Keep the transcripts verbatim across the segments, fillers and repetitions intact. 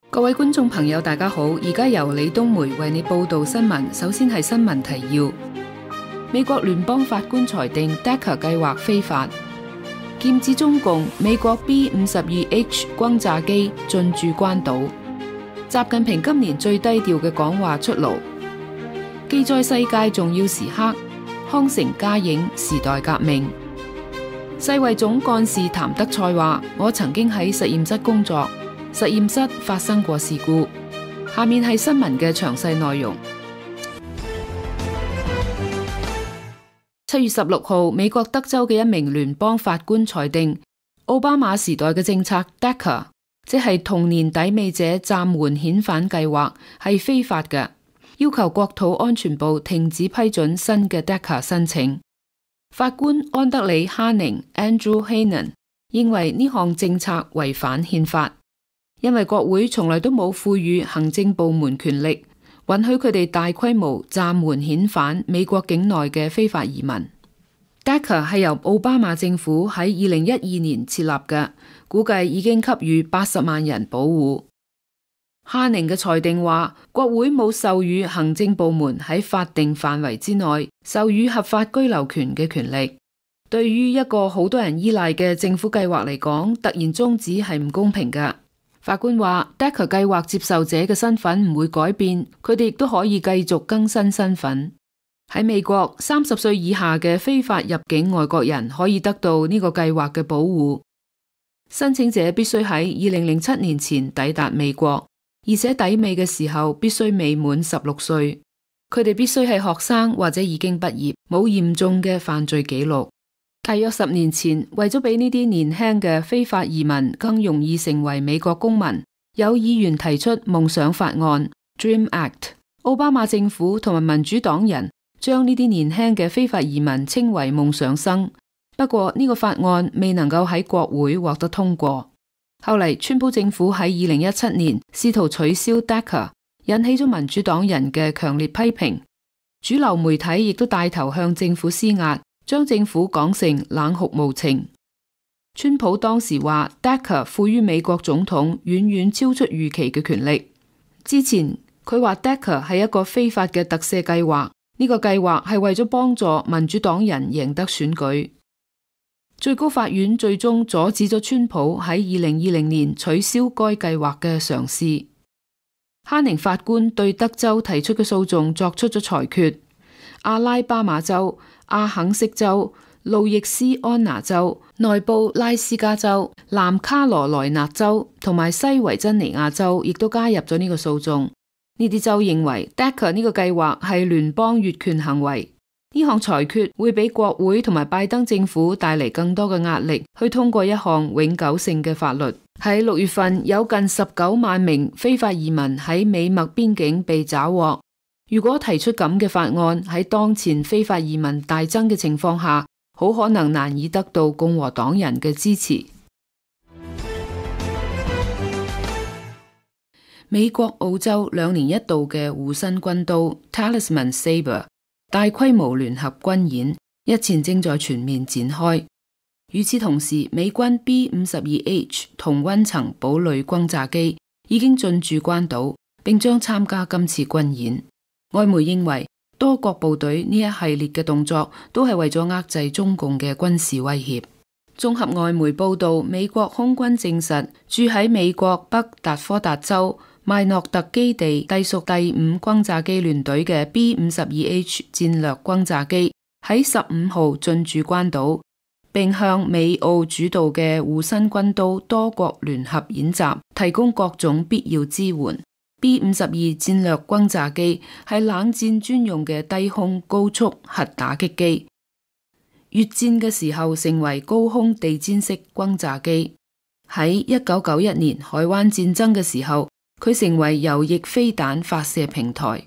各位觀眾朋友，大家好！而家由李東梅為你報道新聞。首先係新聞提要：美國聯邦法官裁定 D A C A 計劃非法；劍指中共，美國 B 五十二 H 轟炸機進駐關島；習近平今年最低調嘅講話出爐；記載世界重要時刻，康城加映時代革命；世衛總幹事譚德塞話：我曾經喺實驗室工作。實驗室發生過事故。下面係新聞嘅詳細內容。七月十六號，美國德州嘅一名聯邦法官裁定，奧巴馬時代嘅政策 D A C A， 即係童年抵美者暫緩遣返計劃，係非法嘅，要求國土安全部停止批准新嘅 D A C A 申請。法官安德里哈寧 Andrew Hanen 認為呢項政策違反憲法。因為國會從來都冇賦予行政部門權力，允許佢哋大規模暫緩遣返美國境內嘅非法移民。D A C A 係由奧巴馬政府喺二零一二年設立嘅，估計已經給予八十萬人保護。哈寧嘅裁定話，國會冇授予行政部門喺法定範圍之內授予合法居留權嘅權力。對於一個好多人依賴嘅政府計劃嚟講，突然終止係唔公平㗎。法官話 D A C A 計劃接受者嘅身份唔會改變，佢哋亦都可以繼續更新身份。喺美國，三十歲以下嘅非法入境外國人可以得到呢個計劃嘅保護。申請者必須喺二零零七年前抵達美國，而且抵美嘅時候必須未滿十六歲。佢哋必須係學生或者已經畢業，冇嚴重嘅犯罪記錄。大約十年前，為咗俾呢啲年輕嘅非法移民更容易成為美國公民，有議員提出夢想法案 Dream Act。奧巴馬政府同埋民主黨人將呢啲年輕嘅非法移民稱為夢想生。不過呢個法案未能夠喺國會獲得通過。後嚟，川普政府喺二零一七年試圖取消 D A C A， 引起咗民主黨人嘅強烈批評。主流媒體亦都帶頭向政府施壓，將政府講成冷酷無情。川普當時話 D A C A 賦予美國總統遠遠超出預期嘅權力。之前佢話 D A C A 係一個非法嘅特赦計劃，呢個計劃係為咗幫助民主黨人贏得選舉。最高法院最終阻止咗川普喺二零二零年取消該計劃嘅嘗試。哈寧法官對德州提出嘅訴訟作出咗裁決。阿拉巴馬州、阿肯色州、路易斯安那州、內布拉斯加州、南卡羅來納州同埋西維珍尼亞州亦都加入咗呢個訴訟。呢啲州認為 D A C A 呢個計劃係聯邦越權行為。呢項裁決會俾國會同埋拜登政府帶嚟更多嘅壓力，去通過一項永久性嘅法律。喺六月份，有近十九萬名非法移民喺美墨邊境被抓獲。如果提出咁嘅法案，喺當前非法移民大增嘅情況下，好可能難以得到共和黨人嘅支持。美國、澳洲兩年一度嘅護身軍刀 Talisman Sabre 大規模聯合軍演日前正在全面展開。與此同時，美軍 B 五十二 H 同溫層堡壘轟炸機已經進駐關島，並將參加今次軍演。外媒認為，多國部隊呢一系列嘅動作都係為咗遏制中共嘅軍事威脅。綜合外媒報道，美國空軍證實，駐喺美國北達科達州邁諾特基地隸屬第五轟炸機聯隊嘅 B 五十二 H 戰略轟炸機喺十五號進駐關島，並向美澳主導嘅護身軍刀多國聯合演習提供各種必要支援。B 五十二戰略轟炸機係冷戰專用嘅低空高速核打擊機，越戰嘅時候成為高空地毯式轟炸機。喺一九九一年海灣戰爭嘅時候，佢成為右翼飛彈發射平台。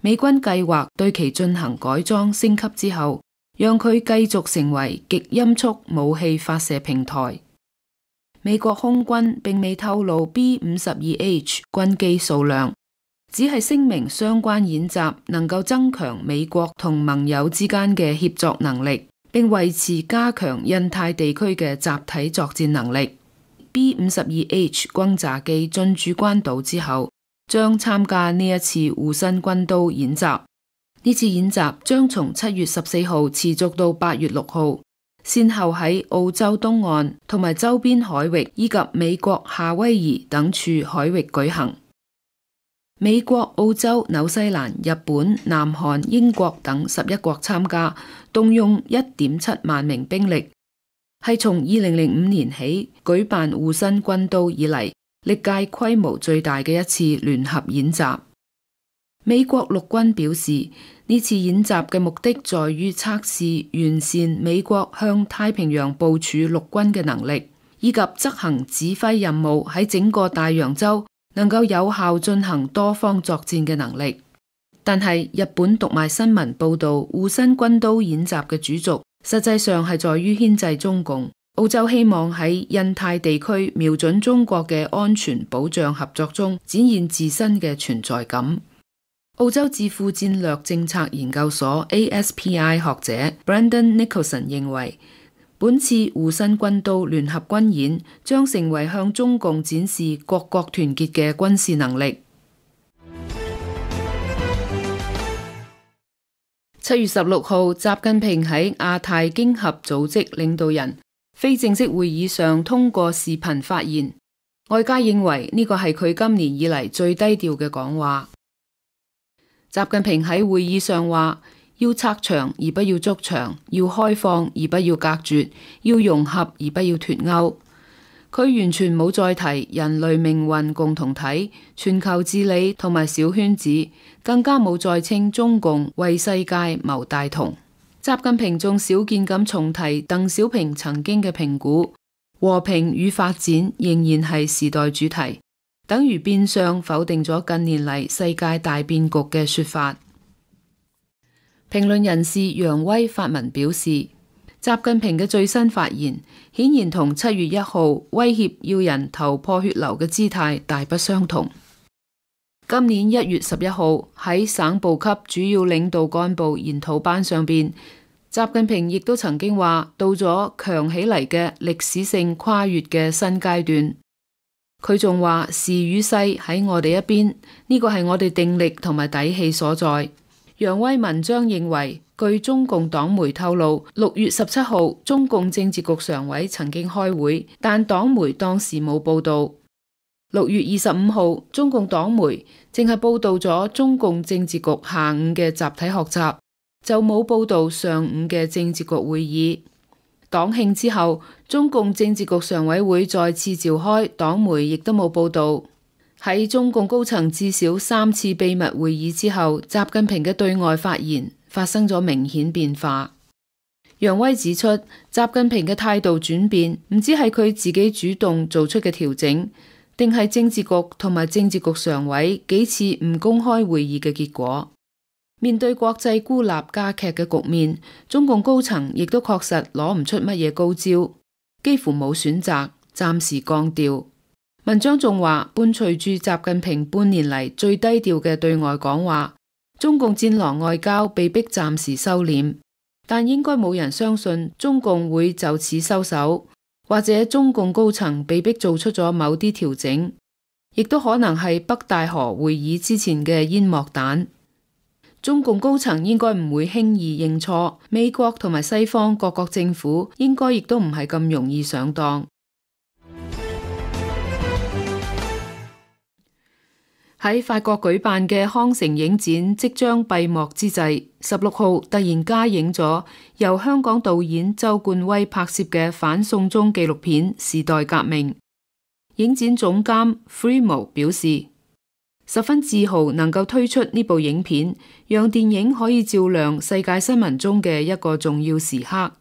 美軍計劃對其進行改裝升級之後，讓佢繼續成為極音速武器發射平台。美國空軍並未透露 B 五十二 H 軍機數量，只係聲明相關演習能夠增強美國同盟友之間嘅協作能力，並為持加強印太地區嘅集體作戰能力。B 五十二 H 轟炸機進駐關島之後，將參加呢一次護身軍刀演習。呢次演習將從七月十四號持續到八月六號，先後喺澳洲東岸同埋周邊海域以及美國夏威夷等處海域舉行。美國、澳洲、紐西蘭、日本、南韓、英國等十一國參加，動用一點七萬名兵力，係從二零零五年起舉辦護身軍刀以嚟歷屆規模最大嘅一次聯合演習。美國陸軍表示，呢次演習嘅目的在於測試完善美國向太平洋部署陸軍嘅能力，以及執行指揮任務喺整個大洋洲能夠有效進行多方作戰嘅能力。但係日本讀賣新聞報道，護身軍刀演習嘅主軸實際上係在於牽制中共。澳洲希望喺印太地區瞄準中國嘅安全保障合作中展現自身嘅存在感。澳洲智庫戰略政策研究所 A S P I 學者 Brendan Nicholson 認為，本次護身軍刀聯合軍演將成為向中共展示各國團結嘅軍事能力。七月十六號，習近平喺亞太經合組織領導人非正式會議上通過視頻發言，外界認為呢個係佢今年以嚟最低調嘅講話。習近平喺會議上話，要拆牆而不要築牆，要開放而不要隔絕，要融合而不要脫鈎。佢完全冇再提人類命運共同體、全球治理同埋小圈子，更加冇再稱中共為世界謀大同。習近平仲少見咁重提鄧小平曾經嘅評估，和平與發展仍然係時代主題，等於變相否定咗近年嚟世界大變局嘅說法。評論人士楊威發文表示，習近平嘅最新發言顯然同七月一號威脅要人頭破血流嘅姿態大不相同。今年一月十一號喺省部級主要領導幹部研討班上邊，習近平亦都曾經話到咗強起嚟嘅歷史性跨越嘅新階段。佢仲話時與勢喺我哋一邊，呢個係我哋定力同埋底氣所在。楊威文章認為，據中共黨媒透露，六月十七號中共政治局常委曾經開會，但黨媒當時冇報道。六月二十五號，中共黨媒淨係報道咗中共政治局下午嘅集體學習，就冇報道上午嘅政治局會議。黨慶之後，中共政治局常委會再次召開，黨媒亦都冇報道。喺中共高層至少三次秘密會議之後，習近平嘅對外發言發生咗明顯變化。楊威指出，習近平嘅態度轉變唔知係佢自己主動做出嘅調整，定係政治局同埋政治局常委幾次唔公開會議嘅結果。面對國際孤立加劇嘅局面，中共高層亦都確實攞唔出乜嘢高招，幾乎冇選擇，暫時降調。文章仲話，伴隨住習近平半年嚟最低調嘅對外講話，中共戰狼外交被迫暫時收斂，但應該冇人相信中共會就此收手，或者中共高層被迫做出咗某啲調整，亦都可能係北戴河會議之前嘅煙幕彈。中共高層應該唔會輕易認錯，美國同埋西方各國政府應該亦都唔係咁容易上當。喺法國舉辦嘅康城影展即將閉幕之際，十六號突然加映咗由香港導演周冠威拍攝嘅反送中紀錄片《時代革命》。影展總監 Freemo 表示，十分自豪能夠推出呢部影片，讓電影可以照亮世界新聞中嘅一個重要時刻。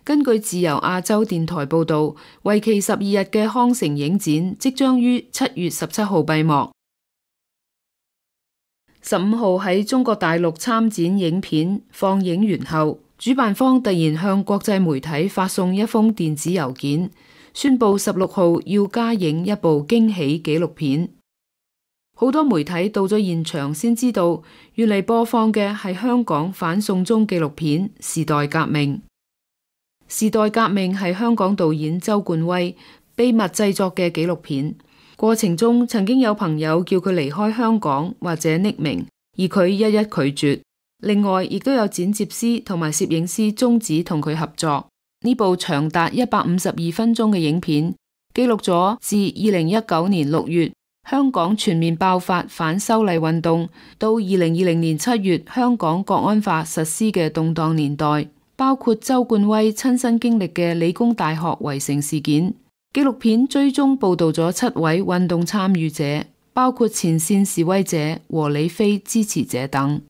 根據自由亞洲電台報道，為期十二日嘅康城影展即將於七月十七號閉幕。十五號喺中國大陸參展影片放映完後，主辦方突然向國際媒體發送一封電子郵件，宣布十六號要加映一部驚喜紀錄片。好多媒體到咗現場先知道，原嚟播放嘅係香港反送中紀錄片《時代革命》。時代革命係香港導演周冠威秘密製作嘅紀錄片，過程中曾經有朋友叫佢離開香港或者匿名，而佢一一拒絕。另外，亦都有剪接師同埋攝影師終止同佢合作。呢部長達一百五十二分鐘嘅影片，記錄咗自二零一九年六月香港全面爆發反修例運動，到二零二零年七月香港國安法實施嘅動盪年代，包括周冠威親身經歷嘅理工大學圍城事件。紀錄片追蹤報道咗七位運動參與者，包括前線示威者和李飛支持者等。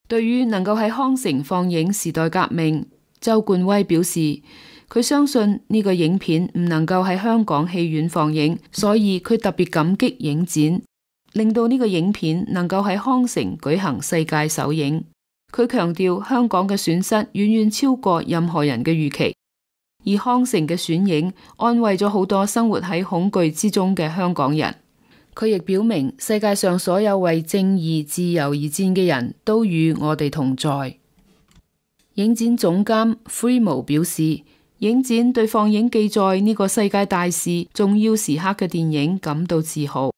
對於能夠喺康城放映時代革命，周冠威表示，佢相信呢個影片唔能夠喺香港戲院放映，所以佢特別感激影展，令到呢個影片能夠喺康城舉行世界首映。佢強調香港嘅損失遠遠超過任何人嘅預期，而康城嘅選映安慰咗好多生活喺恐懼之中嘅香港人。佢亦表明世界上所有為正義自由而戰嘅人都與我哋同在。影展總監 Freemo 表示，影展對放映記載呢個世界大事重要時刻嘅電影感到自豪。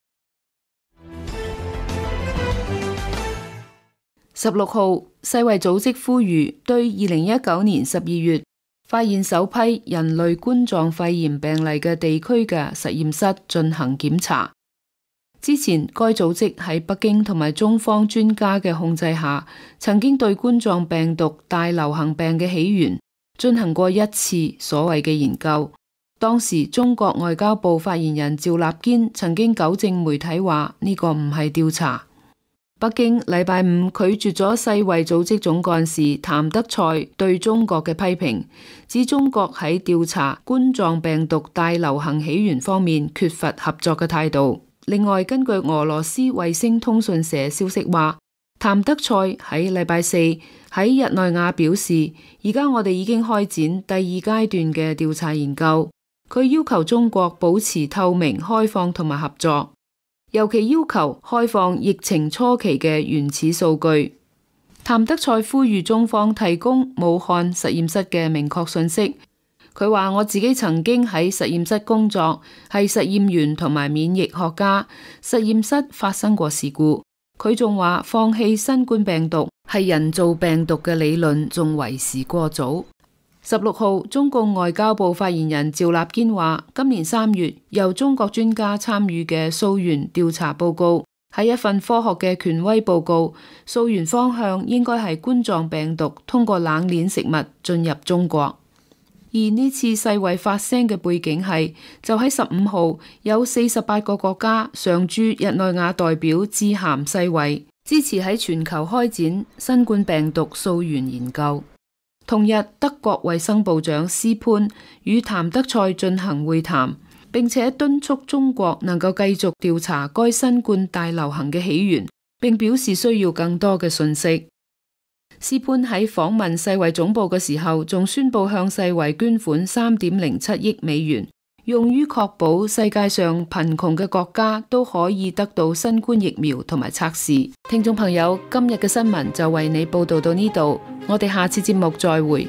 十六號，世衛組織呼籲對二零一九年十二月發現首批人類冠狀肺炎病例嘅地區嘅實驗室進行檢查。之前該組織喺北京同埋中方專家嘅控制下，曾經對冠狀病毒大流行病嘅起源進行過一次所謂嘅研究。當時中國外交部發言人趙立堅曾經糾正媒體話呢個唔係調查。北京禮拜五拒絕咗世衛組織總幹事譚德塞對中國嘅批評，指中國喺調查冠狀病毒大流行起源方面缺乏合作嘅態度。另外，根據俄羅斯衛星通訊社消息話，譚德塞喺禮拜四喺日內瓦表示，而家我哋已經開展第二階段嘅調查研究。佢要求中國保持透明、開放同埋合作。尤其要求開放疫情初期嘅原始數據。譚德塞呼籲中方提供武漢實驗室嘅明確信息。佢話：我自己曾經喺實驗室工作，係實驗員同埋免疫學家。實驗室發生過事故。佢仲話放棄新冠病毒係人造病毒嘅理論仲為時過早。十六號，中共外交部發言人趙立堅話：今年三月由中國專家參與嘅溯源調查報告係一份科學嘅權威報告，溯源方向應該係冠狀病毒通過冷鏈食物進入中國。而呢次世衛發聲嘅背景係，就喺十五號有四十八個國家常駐日內瓦代表致函世衛，支持喺全球開展新冠病毒溯源研究。同日，德國衛生部長斯潘與譚德塞進行會談，並且敦促中國能夠繼續調查該新冠大流行嘅起源，並表示需要更多嘅信息。斯潘喺訪問世衛總部嘅時候，仲宣布向世衛捐款三點零七億美元，用於確保世界上貧窮嘅國家都可以得到新冠疫苗同埋測試。聽眾朋友，今日嘅新聞就為你報道到呢度，我哋下次節目再會。